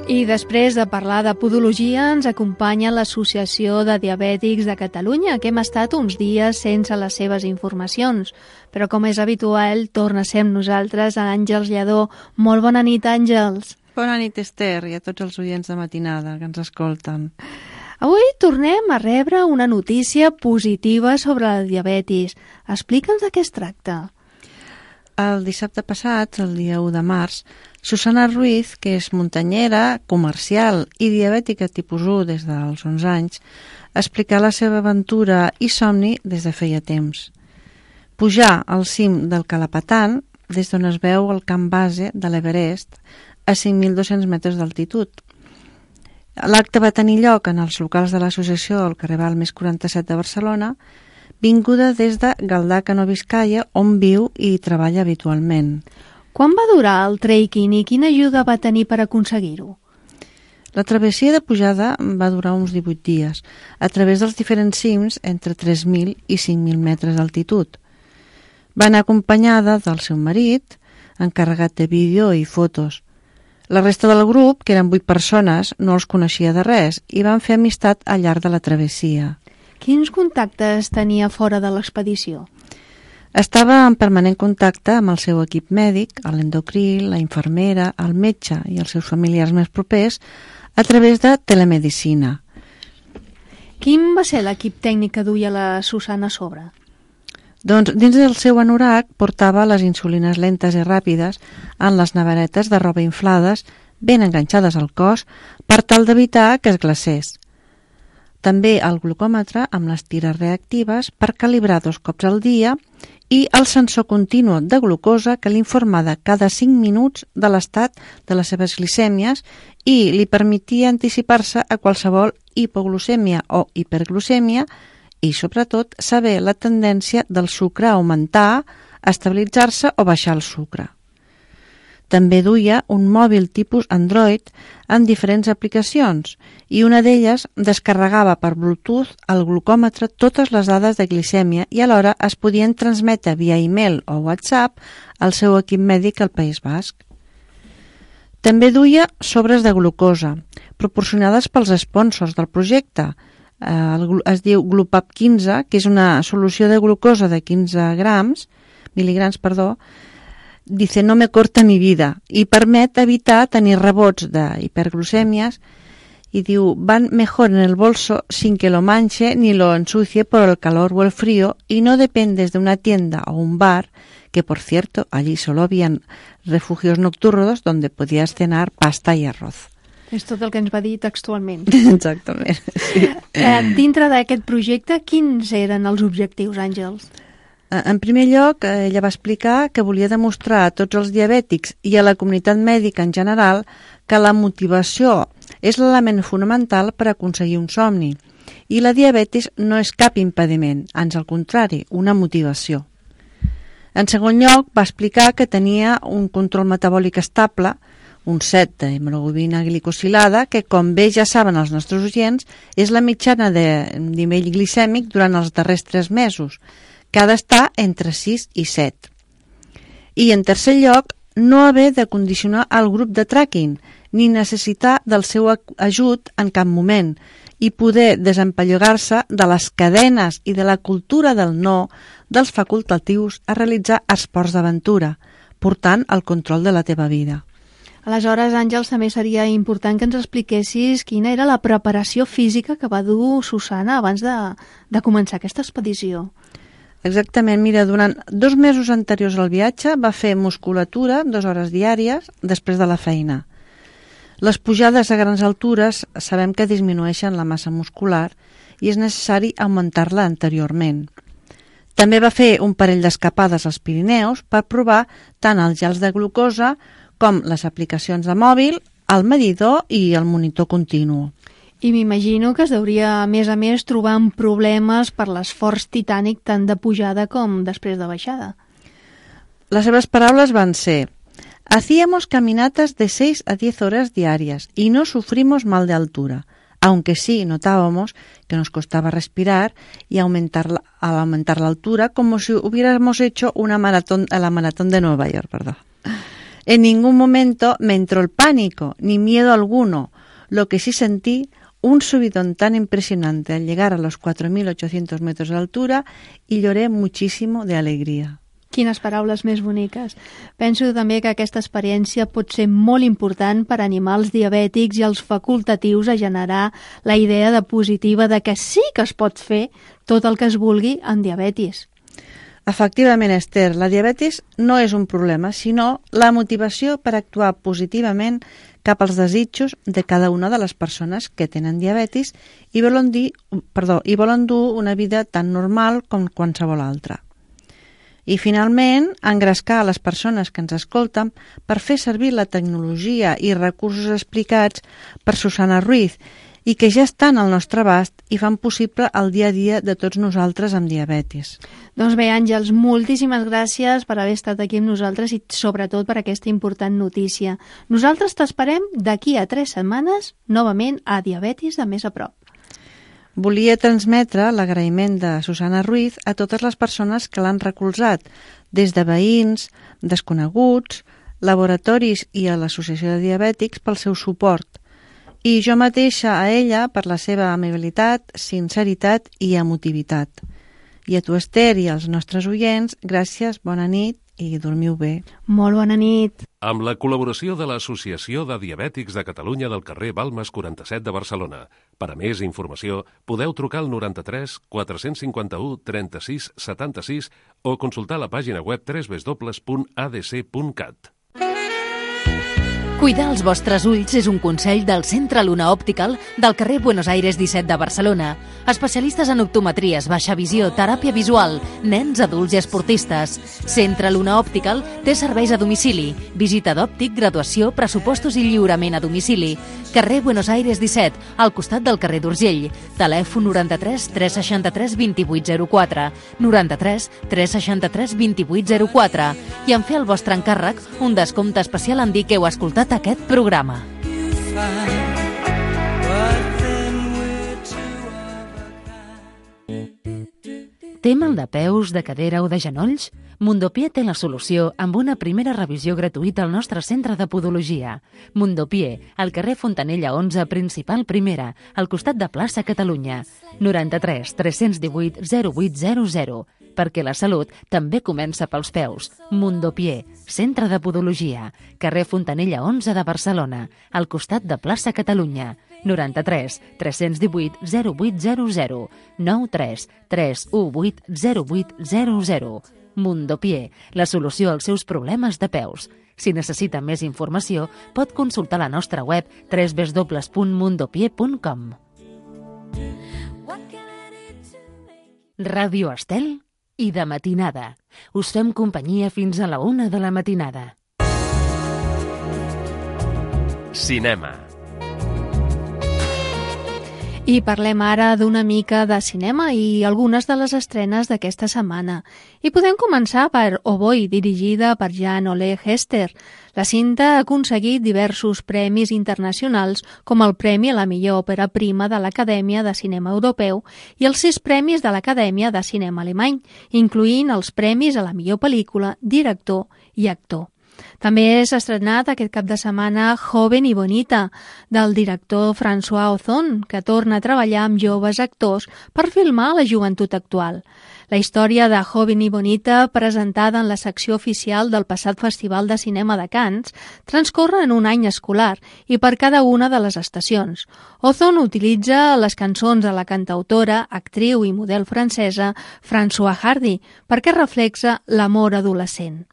I després de parlar de podologia ens acompanya l'Associació de Diabètics de Catalunya, que hem estat uns dies sense les seves informacions. Però com és habitual, torna a ser amb nosaltres Àngels Lledó. Molt bona nit, Àngels. Bona nit, Esther, i a tots els oients de matinada que ens escolten. Avui tornem a rebre una notícia positiva sobre la diabetis. Explica'ns de què es tracta. El dissabte passat, el dia 1 de març, Susana Ruiz, que és muntanyera, comercial i diabètica tipus 1 des dels 11 anys, explica la seva aventura i somni des de feia temps. Pujar al cim del Calapatan, des d'on es veu el camp base de l'Everest, a 5.200 metres d'altitud. L'acte va tenir lloc en els locals de l'associació al carrer Balmes 47 de Barcelona, vinguda des de Galdacano, Vizcaya, on viu i treballa habitualment. Quan va durar el trekking i quina ajuda va tenir per aconseguir-ho? La travessia de pujada va durar uns 18 dies, a través dels diferents cims entre 3.000 i 5.000 metres d'altitud. Va anar acompanyada del seu marit, encarregat de vídeo i fotos. La resta del grup, que eren 8 persones, no els coneixia de res i van fer amistat al llarg de la travessia. Quins contactes tenia fora de l'expedició? Estava en permanent contacte amb el seu equip mèdic, l'endocrí, la infermera, el metge i els seus familiars més propers a través de telemedicina. Quin va ser l'equip tècnic que duia la Susana a sobre? Doncs dins del seu anorac portava les insulines lentes i ràpides en les neveretes de roba inflades ben enganxades al cos per tal d'evitar que es glacés. També el glucòmetre amb les tires reactives per calibrar 2 cops al dia i el sensor continu de glucosa que l'informava cada 5 minuts de l'estat de les seves glicèmies i li permetia anticipar-se a qualsevol hipoglucèmia o hiperglucèmia i, sobretot, saber la tendència del sucre a augmentar, a estabilitzar-se o baixar el sucre. També duia un mòbil tipus Android amb diferents aplicacions i una d'elles descarregava per Bluetooth al glucòmetre totes les dades de glicèmia i alhora es podien transmetre via e-mail o WhatsApp al seu equip mèdic al País Basc. També duia sobres de glucosa, proporcionades pels sponsors del projecte. Es diu Glupap 15, que és una solució de glucosa de 15 mil·ligrams, dice no me corta mi vida y permet evitar tenir rebots de hiperglucèmies y diu van mejor en el bolso sin que lo manche ni lo ensucie por el calor o el frío y no dependes de una tienda o un bar que por cierto allí solo habían refugios nocturnos donde podías cenar pasta y arroz. És tot el que ens va dir textualment. Exactament, sí. Dintre d'aquest projecte, quins eren els objectius, Àngels? En primer lloc, ella va explicar que volia demostrar a tots els diabètics i a la comunitat mèdica en general que la motivació és l'element fonamental per aconseguir un somni i la diabetis no és cap impediment, ans al contrari, una motivació. En segon lloc, va explicar que tenia un control metabòlic estable, un 7 d'hemoglobina glicosilada, que, com bé ja saben els nostres oients, és la mitjana de nivell glicèmic durant els darrers 3 mesos, que ha d'estar entre 6 i 7. I, en tercer lloc, no haver de condicionar el grup de tracking, ni necessitar del seu ajut en cap moment, i poder desempallogar-se de les cadenes i de la cultura del no dels facultatius a realitzar esports d'aventura, portant el control de la teva vida. Aleshores, Àngels, també seria important que ens expliquessis quina era la preparació física que va dur Susana abans de començar aquesta expedició. Exactament, mira, durant 2 mesos anteriors al viatge va fer musculatura 2 hores diàries després de la feina. Les pujades a grans altures sabem que disminueixen la massa muscular i és necessari augmentar-la anteriorment. També va fer un parell d'escapades als Pirineus per provar tant els gels de glucosa com les aplicacions de mòbil, el medidor i el monitor continu. I m'imagino que es deuria, a més, trobar amb problemes per l'esforç titànic tant de pujada com després de baixada. Les seves paraules van ser: hacíamos caminatas de 6 a 10 horas diarias y no sufrimos mal de altura, aunque sí notábamos que nos costaba respirar y al aumentar la altura como si hubiéramos hecho la maratón de Nueva York. En ningún momento me entró el pánico, ni miedo alguno. Lo que sí sentí, un subidón tan impresionante al llegar a los 4.800 metros de altura y lloré muchísimo de alegría. Quines paraules més boniques. Penso també que aquesta experiència pot ser molt important per animar els diabètics i els facultatius a generar la idea de positiva de que sí que es pot fer tot el que es vulgui en diabetis. Efectivament, Esther, la diabetis no és un problema, sinó la motivació per actuar positivament cap als desitjos de cada una de les persones que tenen diabetis i volen dur una vida tan normal com qualsevol altra. I, finalment, engrescar a les persones que ens escolten per fer servir la tecnologia i recursos explicats per Susana Ruiz i que ja estan al nostre abast i fan possible el dia a dia de tots nosaltres amb diabetis. Doncs bé, Àngels, moltíssimes gràcies per haver estat aquí amb nosaltres i sobretot per aquesta important notícia. Nosaltres t'esperem d'aquí a 3 setmanes novament a Diabetis de més a prop. Volia transmetre l'agraïment de Susana Ruiz a totes les persones que l'han recolzat, des de veïns, desconeguts, laboratoris i a l'Associació de Diabètics pel seu suport. I jo mateixa a ella per la seva amabilitat, sinceritat i emotivitat. I a tu, Esther, i als nostres oients, gràcies, bona nit i dormiu bé. Molt bona nit. Amb la col·laboració de l'Associació de Diabètics de Catalunya del carrer Balmes 47 de Barcelona. Per a més informació, podeu trucar al 93 451 36 76 o consultar la pàgina web www.adc.cat. Cuidar els vostres ulls és un consell del Centre Luna Optical del carrer Buenos Aires 17 de Barcelona. Especialistes en optometries, baixa visió, teràpia visual, nens, adults i esportistes. Centre Luna Optical té serveis a domicili, visita d'òptic, graduació, pressupostos i lliurament a domicili. Carrer Buenos Aires 17, al costat del carrer d'Urgell. Telèfon 93 363 2804, 93 363 2804. I en fer el vostre encàrrec, un descompte especial en dir que heu escoltat aquest programa. Té mal de peus, de cadera o de genolls? Mundopié té la solució amb una primera revisió gratuïta al nostre centre de podologia. Mundopié, al carrer Fontanella 11, principal primera, al costat de plaça Catalunya. 93 318 0800, perquè la salut també comença pels peus. Mundopié, centre de podologia, carrer Fontanella 11 de Barcelona, al costat de plaça Catalunya. 93 318 0800, 93 318 0800. Mundopié, la solució als seus problemes de peus. Si necessita més informació, pot consultar la nostra web www.mundopié.com. Ràdio Estel i de matinada. Us fem companyia fins a la 1 de la matinada. Cinema. I parlem ara d'una mica de cinema i algunes de les estrenes d'aquesta setmana. I podem començar per Oh Boy, dirigida per Jan Ole Hester. La cinta ha aconseguit diversos premis internacionals, com el Premi a la millor òpera prima de l'Acadèmia de Cinema Europeu i els 6 premis de l'Acadèmia de Cinema Alemany, incloent els premis a la millor pel·lícula, director i actor. També s'ha estrenat aquest cap de setmana Joven y Bonita, del director François Ozon, que torna a treballar amb joves actors per filmar la joventut actual. La història de Joven y Bonita, presentada en la secció oficial del passat Festival de Cinema de Cannes, transcorre en un any escolar i per cada una de les estacions. Ozon utilitza les cançons de la cantautora, actriu i model francesa Françoise Hardy perquè reflexa l'amor adolescent.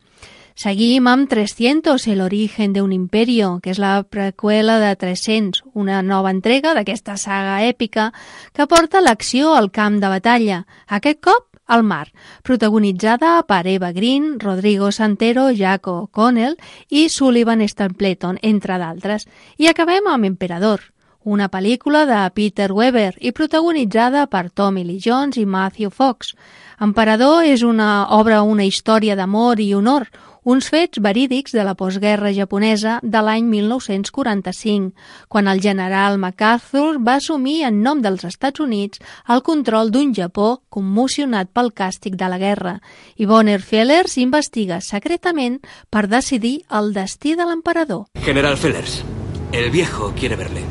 Seguim amb 300, el origen de un imperio, que és la preqüela de 300, una nova entrega d'aquesta saga èpica que porta l'acció al camp de batalla, aquest cop al mar, protagonitzada per Eva Green, Rodrigo Santoro, Jack O'Connell i Sullivan Stapleton, entre d'altres. I acabem amb Emperador, una pel·lícula de Peter Weber i protagonitzada per Tommy Lee Jones i Matthew Fox. Emperador és una història d'amor i honor, uns fets verídics de la postguerra japonesa de l'any 1945, quan el general MacArthur va assumir en nom dels Estats Units el control d'un Japó commocionat pel càstig de la guerra, i Bonner Fellers investiga secretament per decidir el destí de l'emperador. General Fellers, el viejo quiere verle.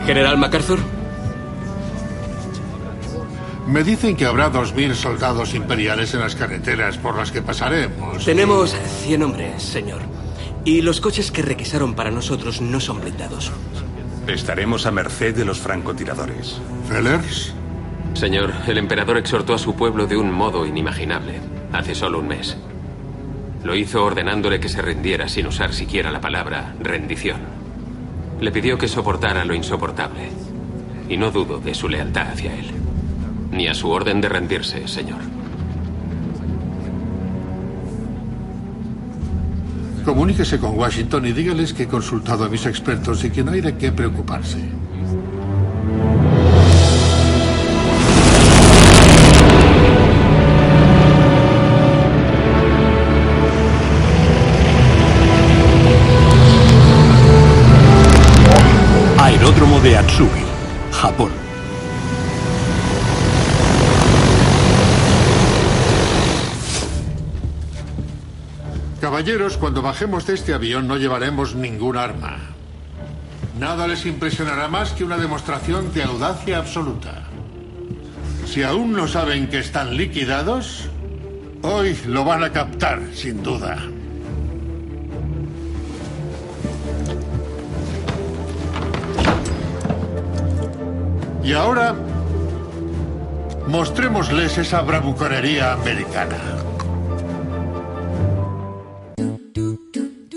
General MacArthur. Me dicen que habrá 2000 soldados imperiales en las carreteras por las que pasaremos. Tenemos 100 hombres, señor. Y los coches que requisaron para nosotros no son blindados. Estaremos a merced de los francotiradores. ¿Fellers? Señor, el emperador exhortó a su pueblo de un modo inimaginable, hace solo un mes. Lo hizo ordenándole que se rindiera sin usar siquiera la palabra rendición. Le pidió que soportara lo insoportable. Y no dudo de su lealtad hacia él. Ni a su orden de rendirse, señor. Comuníquese con Washington y dígales que he consultado a mis expertos y que no hay de qué preocuparse. Aeródromo de Atsugi, Japón. Caballeros, cuando bajemos de este avión no llevaremos ningún arma. Nada les impresionará más que una demostración de audacia absoluta. Si aún no saben que están liquidados, hoy lo van a captar, sin duda. Y ahora, mostrémosles esa bravuconería americana.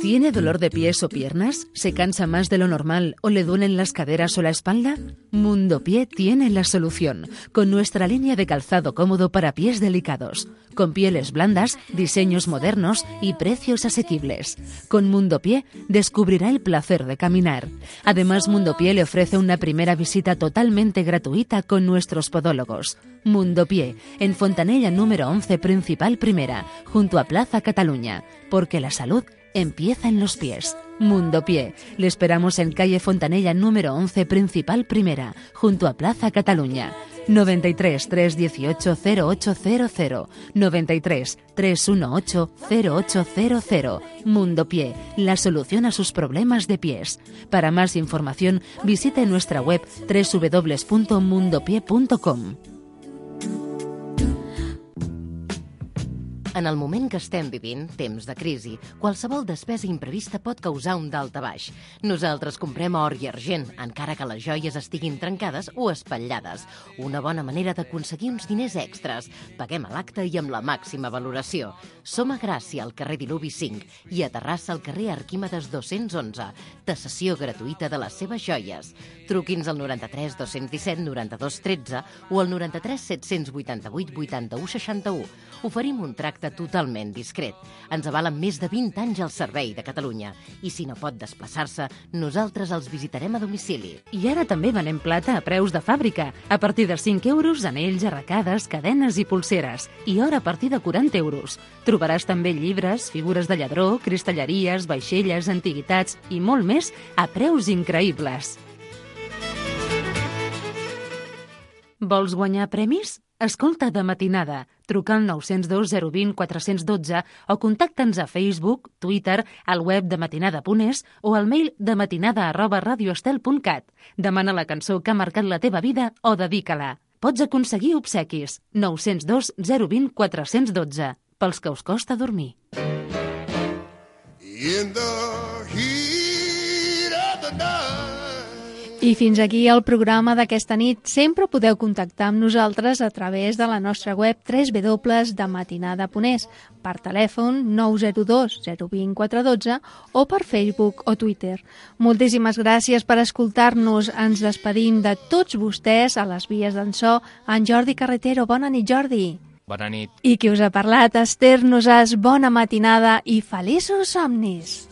¿Tiene dolor de pies o piernas? ¿Se cansa más de lo normal o le duelen las caderas o la espalda? Mundo Pie tiene la solución, con nuestra línea de calzado cómodo para pies delicados, con pieles blandas, diseños modernos y precios asequibles. Con Mundo Pie descubrirá el placer de caminar. Además, Mundo Pie le ofrece una primera visita totalmente gratuita con nuestros podólogos. Mundo Pie, en Fontanella número 11, Principal Primera, junto a Plaza Cataluña, porque la salud empieza en los pies. Mundo Pie. Le esperamos en calle Fontanella número 11, Principal Primera, junto a Plaza Cataluña. 93 318 0800 93 318 0800. Mundo Pie, la solución a sus problemas de pies. Para más información, visite nuestra web www.mundopie.com. En el moment que estem vivint, temps de crisi, qualsevol despesa imprevista pot causar un daltabaix. Nosaltres comprem or i argent, encara que les joies estiguin trencades o espatllades. Una bona manera d'aconseguir uns diners extras. Paguem a l'acte i amb la màxima valoració. Som a Gràcia, al carrer Diluvi 5, i a Terrassa, al carrer Arquímedes 211. Tassació gratuïta de les seves joies. Truqui'ns al 93 217 92 13 o al 93 788 81 61. Oferim un tracte totalment discret. Ens avalen més de 20 anys al servei de Catalunya. I si no pot desplaçar-se, nosaltres els visitarem a domicili. I ara també venem plata a preus de fàbrica. A partir de 5 euros, anells, arracades, cadenes i pulseres. I or a partir de 40 euros. Trobaràs també llibres, figures de lladró, cristalleries, vaixelles, antiguitats i molt més a preus increïbles. Vols guanyar premis? Escolta de matinada. Truca al 902 020 412 o contacta'ns a Facebook, Twitter, al web de matinada.es o al mail dematinada@radioestel.cat. Demana la cançó que ha marcat la teva vida o dedica-la. Pots aconseguir obsequis. 902 020 412. Pels que us costa dormir. I fins aquí el programa d'aquesta nit. Sempre podeu contactar amb nosaltres a través de la nostra web www.dematinada.es, per telèfon 902 020 412 o per Facebook o Twitter. Moltíssimes gràcies per escoltar-nos. Ens despedim de tots vostès a les vies d'en so. En Jordi Carretero. Bona nit, Jordi. Bona nit. I qui us ha parlat, Esther Nosàs. Bona matinada i feliços somnis.